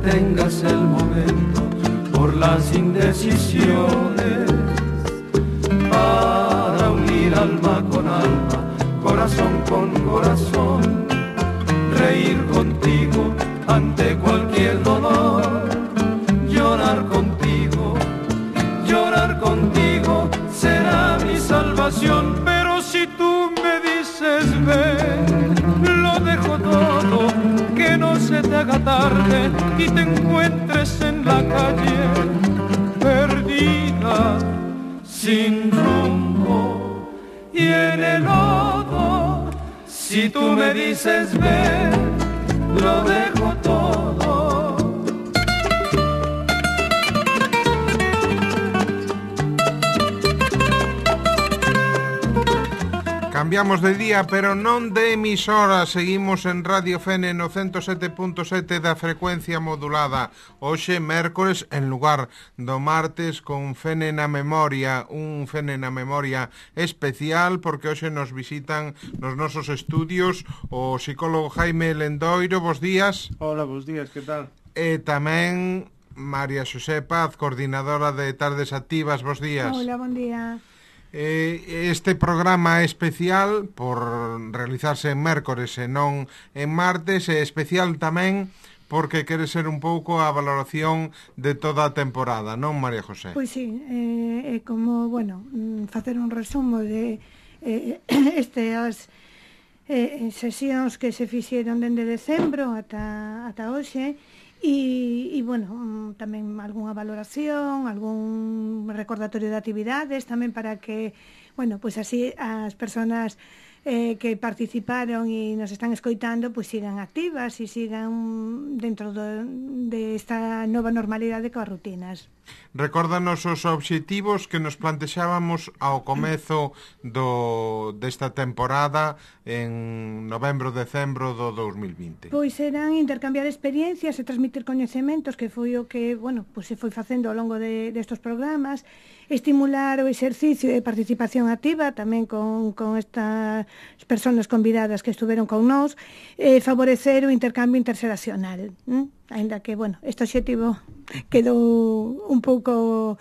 detengas el momento por las indecisiones, para unir alma con alma, corazón con corazón, reír contigo ante cualquier dolor, llorar contigo será mi salvación. Pero si tú me dices ven, lo dejo todo, que no se te haga tarde y te encuentres en la calle perdida, sin rumbo y en el lodo. Si tú me dices ven, lo dejo todo. Cambiamos de día, pero non de emisora. Seguimos en Radio Fene no 107.7 da frecuencia modulada. Hoxe, mércores, en lugar do martes, con Fene na Memoria. Un Fene na Memoria especial, porque hoxe nos visitan nos nosos estudios o psicólogo Jaime Lendoiro. Bos días. Hola, bos días, que tal? E tamén María Xosé Paz, coordinadora de Tardes Activas. Bos días. Hola, bon día. Este programa especial por realizarse en mércores e non en martes, é especial tamén porque quere ser un pouco a valoración de toda a temporada, non, María José? Pois sí, é como, bueno, facer un resumo de estas sesións que se fixeron dende decembro ata hoxe. E bueno, tamén algunha valoración, algún recordatorio de actividades tamén para que, bueno, pois así as persoas que participaron e nos están escoitando pois sigan activas e sigan dentro de esta nova normalidade coas rutinas. Recórdanos os obxectivos que nos plantexábamos ao comezo desta temporada en novembro-decembro do 2020. Pois eran intercambiar experiencias e transmitir coñecementos, que foi o que, bueno, pois se foi facendo ao longo destos programas, estimular o exercicio e participación activa tamén con estas persoas convidadas que estuveron con nós, favorecer o intercambio interxeracional, ainda que, bueno, este obxectivo quedou un pouco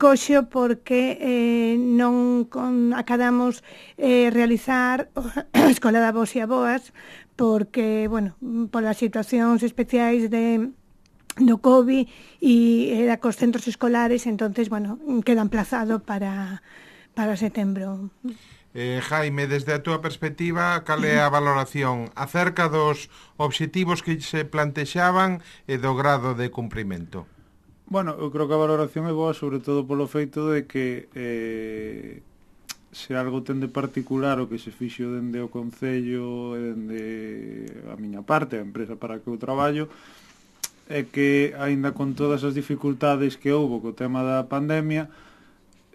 coxo porque non acadamos realizar a Escola da Voz e a Boas porque, bueno, polas situacións especiais do COVID e era cos centros escolares, entonces, bueno, queda emplazado para setembro. Jaime, desde a túa perspectiva, cal é a valoración acerca dos obxectivos que se plantexaban e do grado de cumprimento? Bueno, eu creo que a valoración é boa, sobre todo polo feito de que se algo ten de particular o que se fixo dende o Concello e dende a miña parte, a empresa para que eu traballo, é que, aínda con todas as dificultades que houbo co tema da pandemia,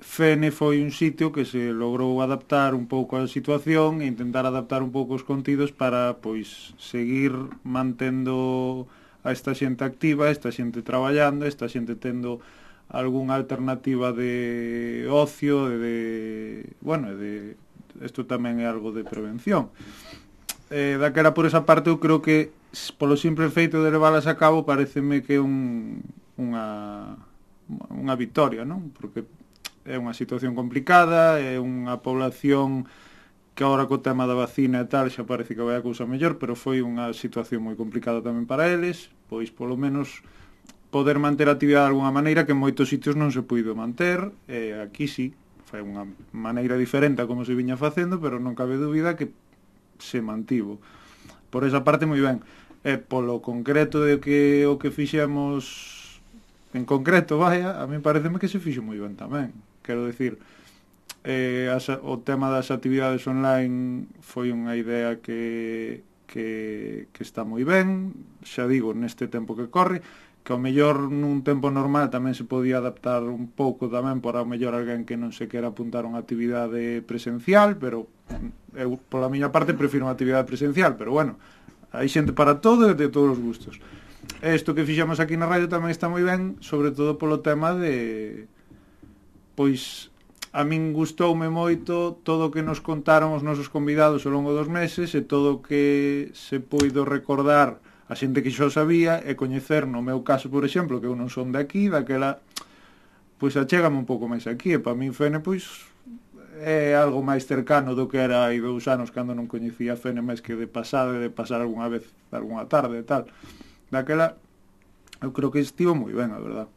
Fene foi un sitio que se logrou adaptar un pouco á situación e intentar adaptar un pouco os contidos para, pois, seguir mantendo a esta xente activa, esta xente traballando, esta xente tendo algunha alternativa de ocio, isto tamén é algo de prevención. Daquela por esa parte eu creo que polo simple feito de leválas a cabo pareceme que é unha victoria, non? Porque é unha situación complicada, é unha población que agora co tema da vacina e tal xa parece que vai a cousa mellor, pero foi unha situación moi complicada tamén para eles, pois polo menos poder manter a actividade de alguna maneira que en moitos sitios non se puido manter, aquí sí, foi unha maneira diferente a como se viña facendo, pero non cabe dúbida que se mantivo. Por esa parte moi ben. Polo concreto de que o que fixemos en concreto, a mí pareceme que se fixo moi ben tamén. Quero dicir, o tema das actividades online foi unha idea que está moi ben, xa digo, neste tempo que corre, que ao mellor nun tempo normal tamén se podía adaptar un pouco tamén para ao mellor alguén que non se quera apuntar a unha actividade presencial, pero eu, pola miña parte, prefiro unha actividade presencial, pero bueno, hai xente para todo e de todos os gustos. Isto que fixemos aquí na radio tamén está moi ben, sobre todo polo tema de... Pois a min gustoume moito todo o que nos contaron os nosos convidados ao longo dos meses e todo o que se puido recordar a xente que xo sabía e coñecer, no meu caso, por exemplo, que eu non son de aquí, daquela, pois achégame un pouco máis aquí, e para min Fene, pois, é algo máis cercano do que era hai 2 anos cando non coñecía Fene máis que de pasada, de pasar algunha vez, algunha tarde e tal. Daquela, eu creo que estivo moi ben, a verdad.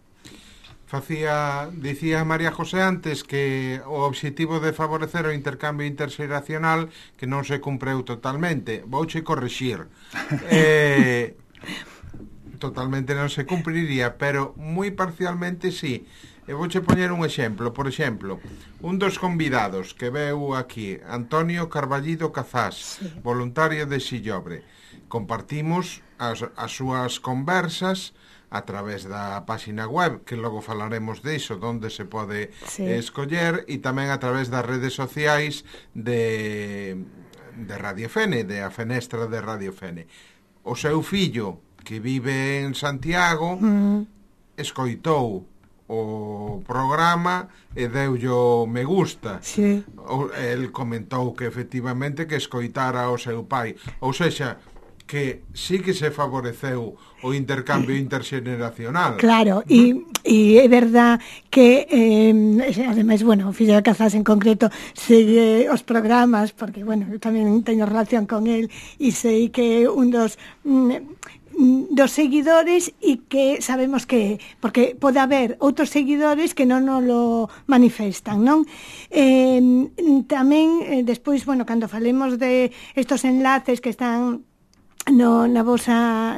Dicía María José antes que o obxectivo de favorecer o intercambio interxeracional que non se cumpreu totalmente. Vouche corrixir. Totalmente non se cumpriría, pero moi parcialmente sí. E vouche poñer un exemplo. Por exemplo, un dos convidados que veu aquí, Antonio Carballido Cazás, sí, voluntario de Sillobre. Compartimos as súas conversas a través da páxina web, que logo falaremos diso, onde se pode escoller, e tamén a través das redes sociais de Radio Fene, de a fenestra de Radio Fene. O seu fillo, que vive en Santiago, escoitou o programa e deullo me gusta. Sí. El comentou que efectivamente que escoitara o seu pai. Ou sexa, que sí que se favoreceu o intercambio interxeneracional. Claro, e é verdad que ademais, bueno, o fillo de Cazás en concreto segue os programas, porque, bueno, eu tamén teño relación con el e sei que un dos seguidores e que sabemos que, porque pode haber outros seguidores que non nos lo manifestan, non? Tamén, despois, bueno, cando falemos de estos enlaces que están na vosa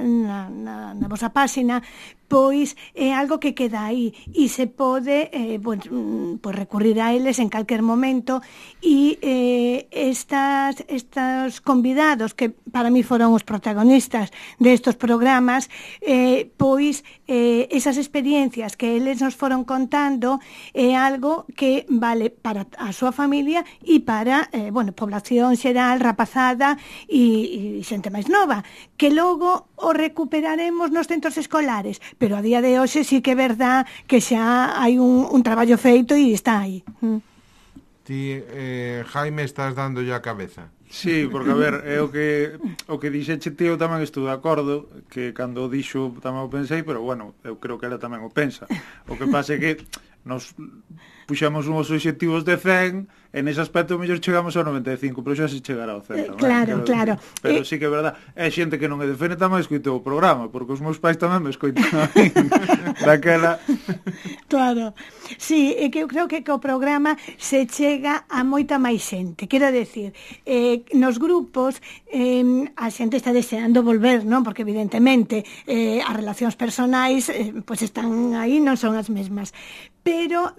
páxina, pois é algo que queda aí e se pode pois recurrir a eles en calquer momento e estos convidados que para mí foron os protagonistas destos programas, pois esas experiencias que eles nos foron contando é algo que vale para a súa familia e para población xeral, rapazada e xente máis nova, que logo o recuperaremos nos centros escolares, pero a día de hoxe sí que é verdad que xa hai un traballo feito e está aí. Ti, Jaime, estás dando a cabeza. Sí, porque, a ver, é o que dixeche ti, eu tamén estou de acordo, que cando o dixo tamén o pensei, pero, bueno, eu creo que ela tamén o pensa. O que pasa é que nos puxamos uns obxectivos de 100, en ese aspecto mellor chegamos ao 95, pero xa se chegará ao 100. Claro. Pero sí que é verdad, é xente que non é de Fene tamén escoitou o programa, porque os meus pais tamén me escoitan a mí, daquela. Claro, sí, é que eu creo que o programa se chega a moita máis xente, quero decir, nos grupos a xente está deseando volver, non? Porque evidentemente as relacións personais pois están aí, non son as mesmas, pero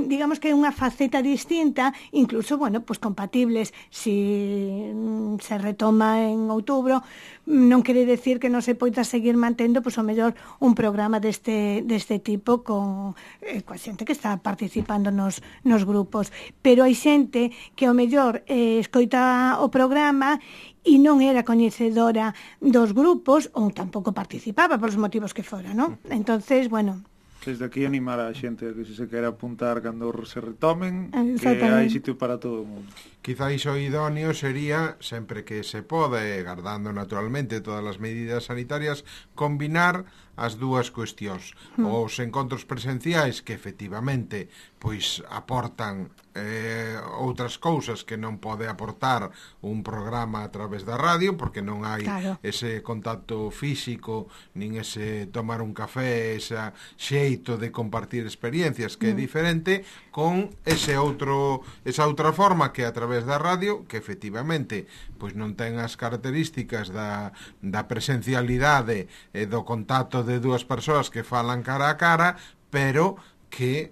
digamos que é unha faceta distinta, incluso, bueno, pues compatibles. Si se retoma en outubro, non quere decir que non se poida seguir mantendo, pues, o mellor un programa deste tipo con coa xente que está participando nos grupos, pero hai xente que o mellor escoita o programa e non era coñecedora dos grupos ou tampouco participaba polos motivos que fora, non? Entonces, bueno, desde aquí animar a xente que se quere apuntar cando se retomen, que hai sitio para todo o mundo. Quizáis o idóneo sería, sempre que se pode, guardando naturalmente todas as medidas sanitarias, combinar as dúas cuestións. Os encontros presenciais que efectivamente pois aportan outras cousas que non pode aportar un programa a través da radio, porque non hai ese contacto físico, nin ese tomar un café, ese xeito de compartir experiencias que é diferente, con esa outra forma que a través da radio, que efectivamente pois non ten as características da presencialidade e do contacto de dúas persoas que falan cara a cara, pero que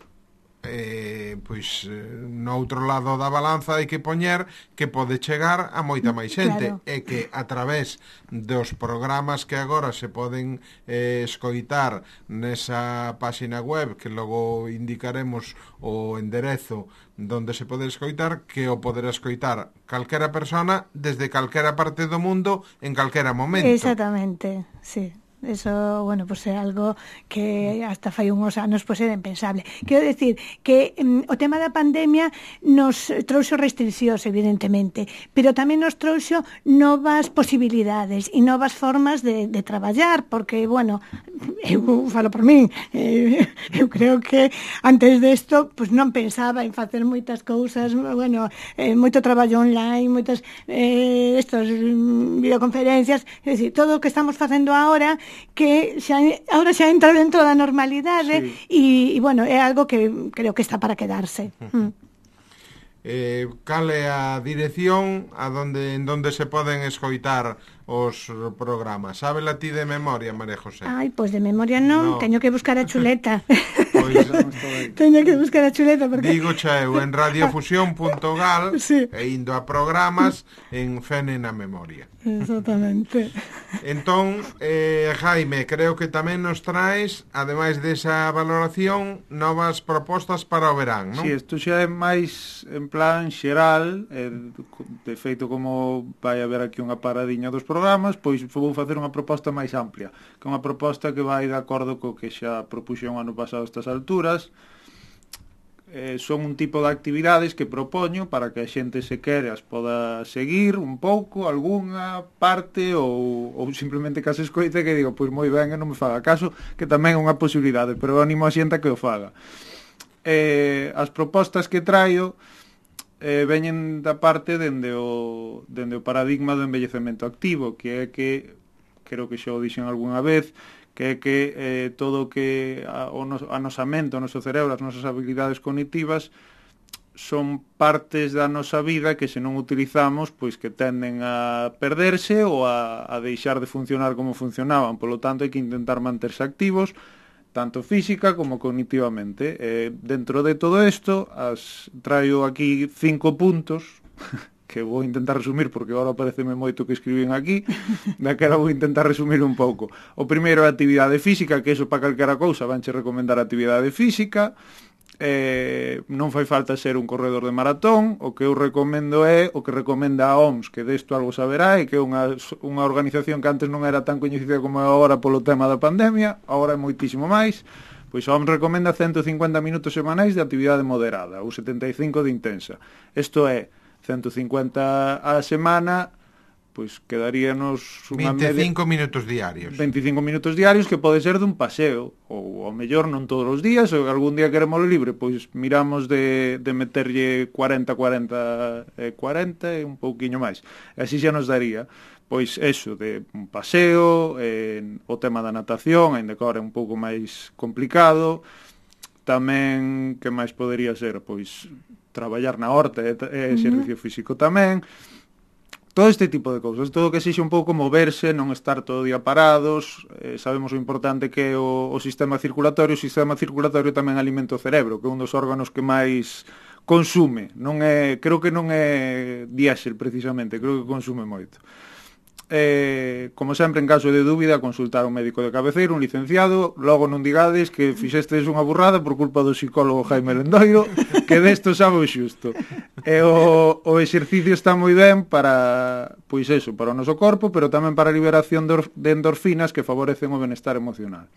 pois no outro lado da balanza hai que poñer que pode chegar a moita máis xente, e que a través dos programas que agora se poden escoitar nesa páxina web, que logo indicaremos o enderezo donde se pode escoitar, que o poderá escoitar calquera persona desde calquera parte do mundo en calquera momento. Exactamente, sí. Eso, bueno, pues é algo que hasta fai uns anos pues era impensable. Quero decir que o tema da pandemia nos trouxo restriccións, evidentemente, pero tamén nos trouxo novas posibilidades e novas formas de traballar, porque, bueno, eu falo por min, eu creo que antes desto pues non pensaba en facer moitas cousas, bueno, moito traballo online, moitas estos videoconferencias, é dicir, todo o que estamos facendo agora que ahora xa entra dentro da normalidade e bueno, é algo que creo que está para quedarse. Cal é a dirección en donde se poden escoitar os programas? Sábela ti de memoria, María José? Ai, pois de memoria non. Teño que buscar a chuleta. Pois, teño que buscar a chuleta porque... Digo xa eu en radiofusión.gal e indo a programas en Fene na Memoria. Exactamente. Entón, Jaime, creo que tamén nos traes, ademais desa valoración, novas propostas para o verán, non? Si, isto xa é máis en plan xeral, de feito como vai haber aquí unha paradiña dos programas, pois vou facer unha proposta máis amplia, que é unha proposta que vai de acordo co que xa propuxen o ano pasado a estas alturas. Son un tipo de actividades que propoño para que a xente se quere as poda seguir un pouco, algunha parte ou simplemente que as escoite que digo, pois moi ben, non me faga caso, que tamén é unha posibilidade, pero animo a xente a que o faga. As propostas que traio veñen da parte dende o paradigma do envellecemento activo, que é que, creo que xa o dixen algunha vez, que é que todo o que o nosa mente, o noso cerebro, as nosas habilidades cognitivas son partes da nosa vida que se non utilizamos, pois que tenden a perderse ou a deixar de funcionar como funcionaban. Polo tanto, hai que intentar manterse activos, tanto física como cognitivamente. Dentro de todo isto, traio aquí 5 puntos que vou intentar resumir porque agora pareceme moito que escribín aquí, daquela vou intentar resumir un pouco. O primeiro é a actividade física, que iso para calquera cousa vanche recomendar a actividade física. Non fai falta ser un corredor de maratón, o que eu recomendo é o que recomenda a OMS, que desto algo saberá, e que é unha organización que antes non era tan coñecida como é agora polo tema da pandemia, agora é moitísimo máis. Pois a OMS recomenda 150 minutos semanais de actividade moderada, ou 75 de intensa. Isto é 150 a semana, pois quedaríanos unha 25 minutos diarios. 25 minutos diarios que pode ser dun paseo, ou ao mellor non todos os días, ou algún día queremos libre, pois miramos de meterlle 40 e un pouquiño máis. E así xa nos daría, pois eso, de un paseo, o tema da natación, ainda que agora é un pouco máis complicado. Tamén, que máis podería ser? Pois traballar na horta e exercicio físico tamén. Todo este tipo de cousas, todo que sexa un pouco moverse, non estar todo o día parados. Sabemos o importante que é o sistema circulatorio. O sistema circulatorio tamén alimenta o cerebro, que é un dos órganos que máis consume. Creo que non é diésel precisamente, creo que consume moito. Como sempre, en caso de dúbida, consultar un médico de cabeceiro, un licenciado. Logo non digades que fixestes unha burrada por culpa do psicólogo Jaime Lendoiro, que desto sabe o xusto. O exercicio está moi ben para, pois eso, para o noso corpo, pero tamén para a liberación de endorfinas que favorecen o benestar emocional.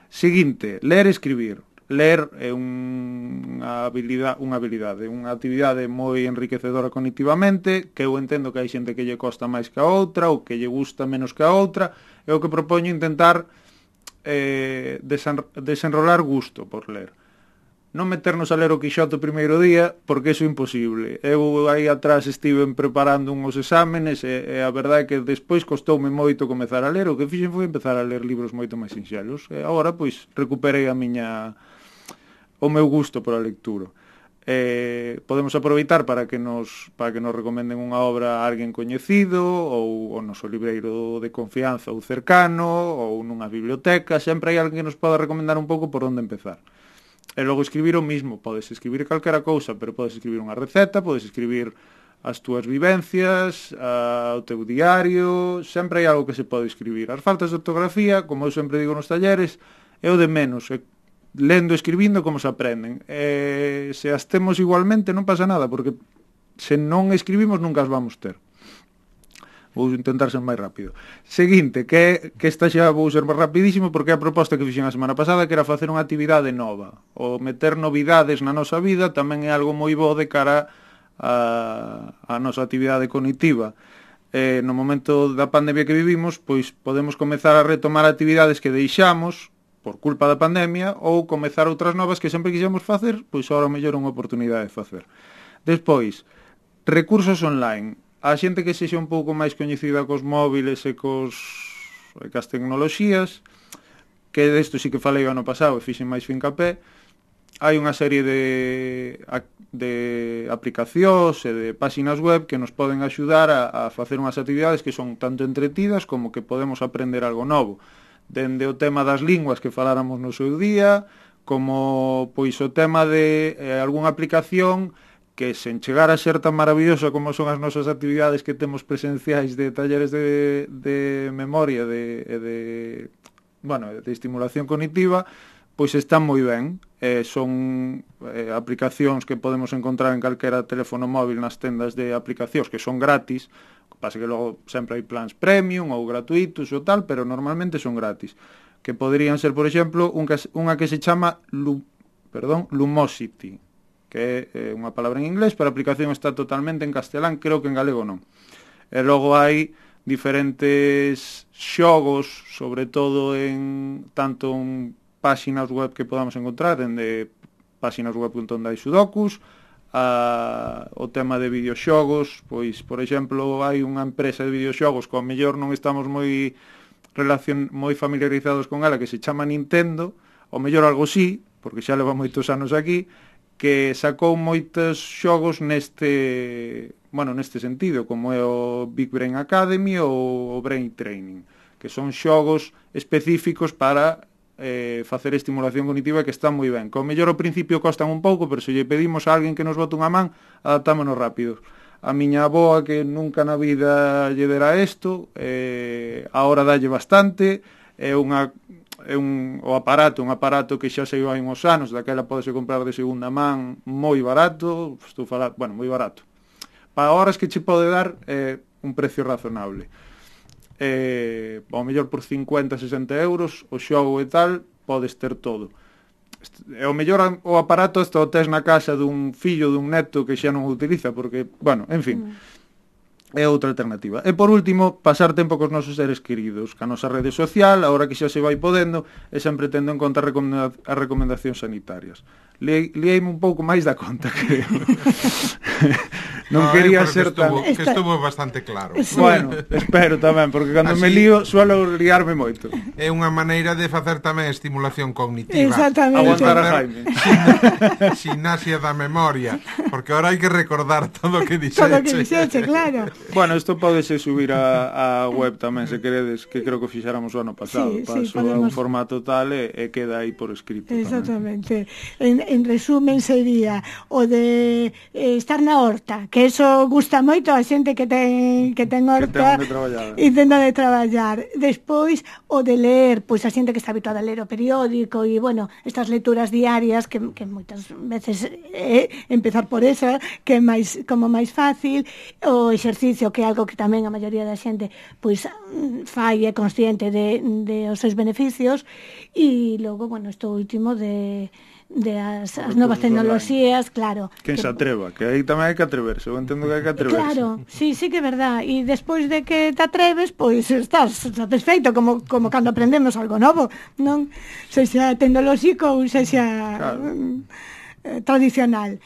Seguinte, ler e escribir. Ler é unha habilidade, unha actividade moi enriquecedora cognitivamente, que eu entendo que hai xente que lle costa máis que a outra, ou que lle gusta menos que a outra. É o que propoño intentar desenrolar gusto por ler. Non meternos a ler o Quixote o primeiro día, porque iso é imposible. Eu aí atrás estive preparando uns exámenes e a verdade é que despois costoume moito comezar a ler. O que fixen foi empezar a ler libros moito máis sinxelos. E agora, pois, recuperei o meu gusto por a lectura. Podemos aproveitar para que nos recomenden unha obra a alguén coñecido, ou o noso libreiro de confianza ou cercano, ou nunha biblioteca. Sempre hai alguén que nos poda recomendar un pouco por onde empezar. E logo escribir o mismo. Podes escribir calquera cousa, pero podes escribir unha receta, podes escribir as túas vivencias, o teu diario. Sempre hai algo que se pode escribir. As faltas de ortografía, como eu sempre digo nos talleres, é o de menos. Lendo e escribindo como se aprenden. Se as temos igualmente non pasa nada, porque se non escribimos nunca as vamos ter. Vou intentar ser máis rápido. Seguinte, que esta xa vou ser máis rapidísimo, porque é a proposta que fixen a semana pasada, que era facer unha actividade nova. O meter novidades na nosa vida tamén é algo moi bo de cara a nosa actividade cognitiva. No momento da pandemia que vivimos, pois podemos comezar a retomar actividades que deixamos por culpa da pandemia, ou comezar outras novas que sempre quixemos facer, pois agora mellor é unha oportunidade de facer. Despois, recursos online. A xente que sexa un pouco máis coñecida cos móviles e cas tecnoloxías, que desto sí que falei o ano pasado e fixen máis fincapé, hai unha serie de aplicacións e de páxinas web que nos poden axudar a facer unhas actividades que son tanto entretidas como que podemos aprender algo novo. Dende o tema das linguas que faláramos no seu día, como pois o tema de algunha aplicación que sen chegar a ser tan maravillosa como son as nosas actividades que temos presenciais de talleres de memoria de estimulación cognitiva, pois están moi ben. Son aplicacións que podemos encontrar en calquera teléfono móvil nas tendas de aplicacións que son gratis, pasa que logo sempre hai plans premium ou gratuitos ou tal, pero normalmente son gratis, que poderían ser, por exemplo, unha que se chama Lumosity, que é unha palabra en inglés, pero a aplicación está totalmente en castelán, creo que en galego non. E logo hai diferentes xogos, sobre todo tanto en páxinas web que podamos encontrar, dende páxinas web onde hai sudokus, o tema de videoxogos, pois, por exemplo, hai unha empresa de videoxogos que ao mellor non estamos moi familiarizados con ela, que se chama Nintendo, ao mellor algo sí, porque xa leva moitos anos aquí, que sacou moitos xogos neste sentido, como é o Big Brain Academy ou o Brain Training, que son xogos específicos para facer estimulación cognitiva que están moi ben. Como mellor ao principio costan un pouco, pero se lle pedimos a alguén que nos bote unha man, adaptámonos rápido. A miña avoa, que nunca na vida lle dera isto, agora dalle bastante, é un aparato que xa saiu hai uns anos, daquela podese comprar de segunda man moi barato, moi barato. Para horas que che pode dar un precio razonable. Ao mellor por 50-60 euros o xogo e tal, podes ter todo. E ao mellor o aparato hasta o tes na casa dun fillo, dun neto que xa non o utiliza, porque, en fin, é outra alternativa. E por último, pasar tempo cos nosos seres queridos, ca nosa rede social, agora que xa se vai podendo, e sempre tendo en conta as recomendacións sanitarias. Leíme un pouco máis da conta, creo. Non quería ser tan... Que estuvo bastante claro. Sí. Bueno, espero tamén, porque cando me lío suelo liarme moito. É unha maneira de facer tamén estimulación cognitiva. Exactamente. Aguantar a Jaime. Gimnasia da memoria, porque ahora hai que recordar todo o que dixeche. Todo o que dixeche, claro. Bueno, isto podese subir a web tamén, se queredes, que creo que fixáramos o ano pasado. Paso a un formato tal e queda aí por escrito. Exactamente. En resumen sería o de estar na horta, que eso gusta moito a xente que ten horta e ten de traballar. Despois o de ler, pois a xente que está habituada a ler o periódico e, estas lecturas diarias que moitas veces empezar por esa, que é máis fácil, o exercicio, que é algo que tamén a maioría da xente pois fai e consciente de os seus beneficios, e logo, isto último de as novas tecnoloxías, claro. Quen se atreva, que aí tamén hai que atreverse, eu entendo que hai que atreverse. Claro, sí que é verdad, e despois de que te atreves, pois estás satisfeito, como cando aprendemos algo novo, non? Sexa tecnolóxico ou sexa tradicional.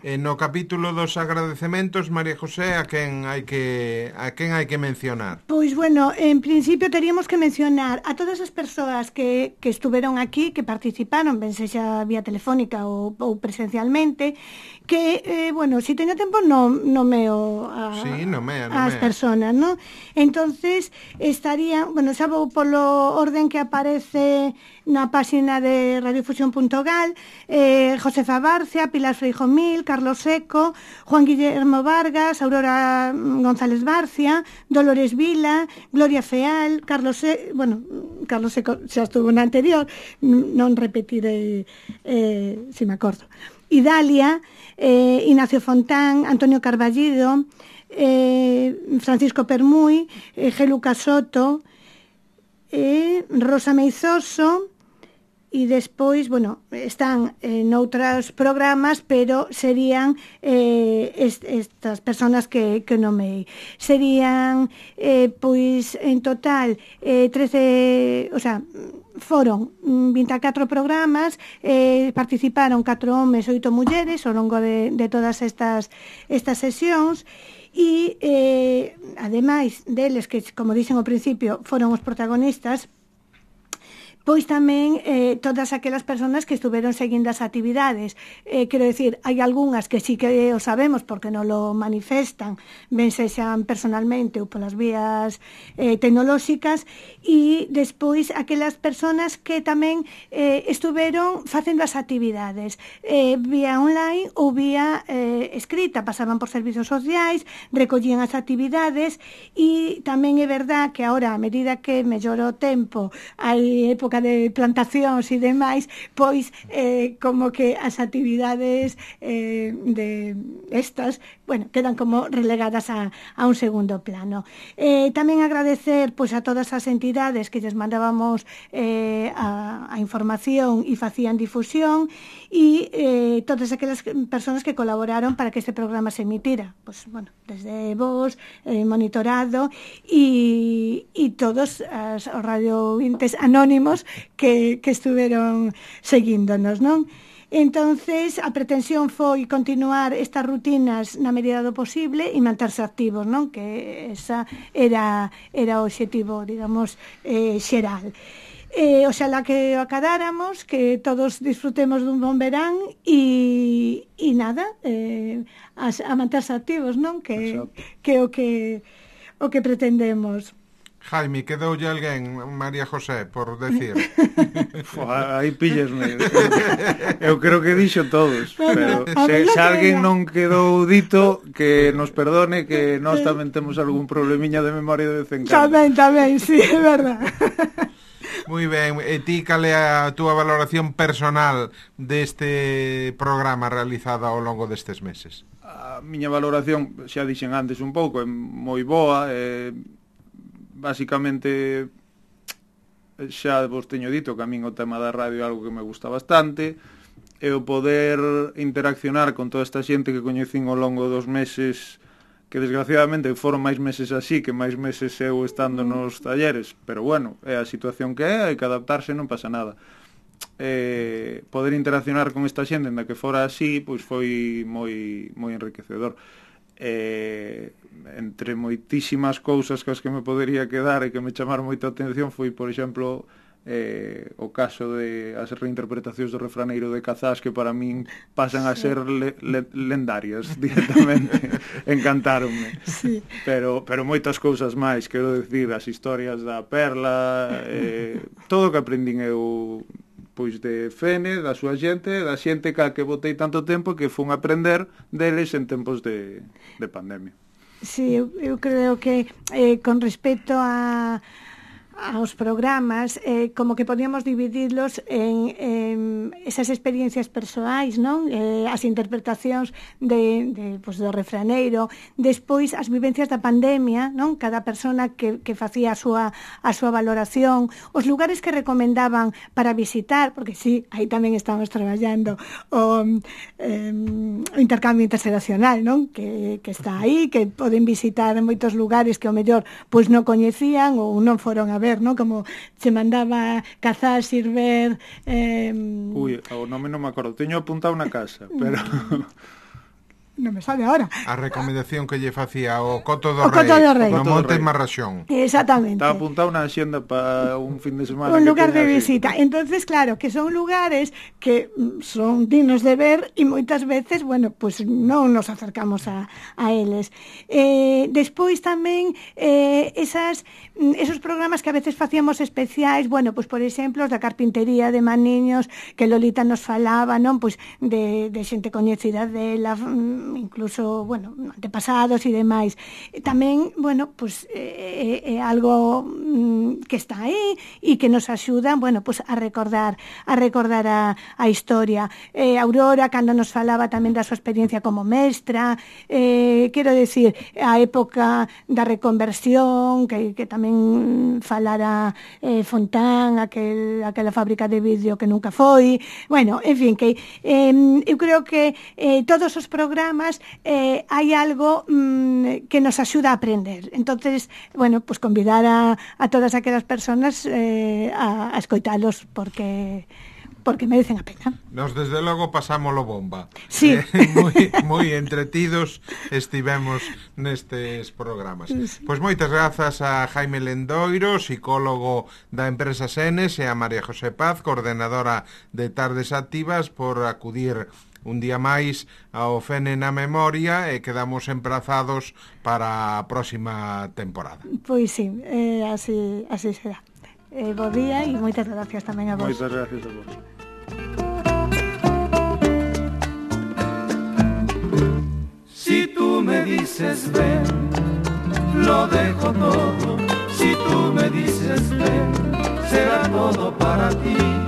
No capítulo dos agradecementos, María José, a quen hai que mencionar? Pois, en principio teríamos que mencionar a todas as persoas que estuveron aquí, que participaron, ben sexa vía telefónica ou presencialmente, que, se teño tempo nomeo as personas, non? Entonces, estaría, xa vou polo orden que aparece na páxina de radiofusión.gal, Josefa Barcia, Pilar Freijomil, Carlos Seco, Juan Guillermo Vargas, Aurora González Barcia, Dolores Vila, Gloria Feal, Carlos Seco xa estuvo na anterior, non repetirei se me acordo. Idalia, Ignacio Fontán, Antonio Carballido, Francisco Permuy, Geluca Soto, Rosa Meizoso, e despois, bueno, están noutros programas, pero serían estas persoas que nomei. Serían, pois, en total, 13, o sea, foron 24 programas, participaron 4 homes, 8 mulleres ao longo de todas estas sesións, e, ademais deles, que, como dixen ao principio, foron os protagonistas, pois tamén todas aquelas persoas que estuveron seguindo as actividades. Quero decir, hai algunhas que sí que o sabemos porque non lo manifestan, ben sexan personalmente ou polas vías tecnolóxicas, e despois aquelas persoas que tamén estuveron facendo as actividades vía online ou vía escrita, pasaban por servizos sociais, recollían as actividades, e tamén é verdad que agora, a medida que mellora o tempo, hai época de plantacións e demais, pois como que as actividades de estas, bueno, quedan como relegadas a un segundo plano. Tamén agradecer pois a todas as entidades que lles mandábamos a información e facían difusión, e todas aquelas persoas que colaboraron para que este programa se emitira, pois, bueno, desde vos, monitorado, e todos os radiovintes anónimos que estuveron seguíndonos, non? Entonces, a pretensión foi continuar estas rutinas na medida do posible e manterse activos, non? Que esa era o obxectivo, digamos, xeral. Oxalá que o acadáramos, que todos disfrutemos dun bon verán e nada, a manterse activos, non? Que o que pretendemos. Jaime, quedoulle alguén, María José, por decir? Aí píllesme. Eu creo que dixo todos, pero se alguén non quedou dito, que nos perdone, que nós tamén temos algún problemiña de memoria de vez en cando. Tamén, sí, é verdad. Moi ben, e ti cal é a túa valoración personal deste programa realizado ao longo destes meses? A miña valoración, xa dixen antes un pouco, é moi boa, basicamente xa vos teño dito que a min o tema da radio é algo que me gusta bastante, e o poder interaccionar con toda esta xente que coñecín ao longo dos meses, que desgraciadamente foron máis meses así que máis meses eu estando nos talleres, pero bueno, é a situación que é, hai que adaptarse, non pasa nada. Poder interaccionar con esta xente en da que fora así, pois foi moi enriquecedor. Entre moitísimas cousas que as que me podería quedar e que me chamaron moita atención foi, por exemplo, o caso de as reinterpretacións do refraneiro de Cazás, que para min pasan a ser lendarias directamente. Encantáronme. Sí. Pero moitas cousas máis, quero decir, as historias da Perla, todo o que aprendín eu, pois, de Fene, da súa xente, da xente que botei tanto tempo, que fun aprender deles en tempos de pandemia. Sí, eu creo que con respecto aos programas, como que podíamos dividirlos en esas experiencias persoais, non? As interpretacións pues, do refraneiro, despois as vivencias da pandemia, non? Cada persona que facía a súa valoración, os lugares que recomendaban para visitar, porque sí, aí tamén estamos traballando o intercambio interxeracional, non? Que está aí, que poden visitar en moitos lugares que ao mellor pois non coñecían ou non foron a ver, ¿no? Como se mandaba Cazás, Sirver... Ui, o nome non me acordo. Teño apuntado na casa, pero... Non me sale ahora. A recomendación que lle facía o Coto do Rei, no Monte Marraxón. Exactamente. Estaba apuntado na axenda para un fin de semana. Un lugar de visita. Entonces, claro, que son lugares que son dignos de ver e moitas veces, bueno, pues non nos acercamos a eles. Despois tamén esos programas que a veces facíamos especiais, bueno, pues por exemplo, os da carpintería de maniños, que Lolita nos falaba, non? Pues de xente coñecida dela, incluso, bueno, antepasados e demais. Tamén, bueno, pues é algo que está aí e que nos axuda, bueno, pues a recordar a historia. Aurora, cando nos falaba tamén da súa experiencia como mestra, quero decir, a época da reconversión, que tamén falara Fontán, aquela fábrica de vidrio que nunca foi, bueno, en fin, que eu creo que todos os programas hai algo que nos axuda a aprender. Entonces, bueno, pues convidar a todas aquelas personas a escoitalos porque merecen a pena. Nos desde logo pasámoslo bomba. Sí. Moi entretidos estivemos nestes programas. Sí. Pois moitas grazas a Jaime Lendoiro, psicólogo da empresa Senes, e a María José Paz, coordenadora de Tardes Activas, por acudir un día máis ao Fene na Memoria, e quedamos emprazados para a próxima temporada. Pois sí, así será. Bo día e moitas gracias tamén a vos. Moitas gracias a vos. Si tú me dices ven, lo dejo todo. Si tú me dices ven, será todo para ti.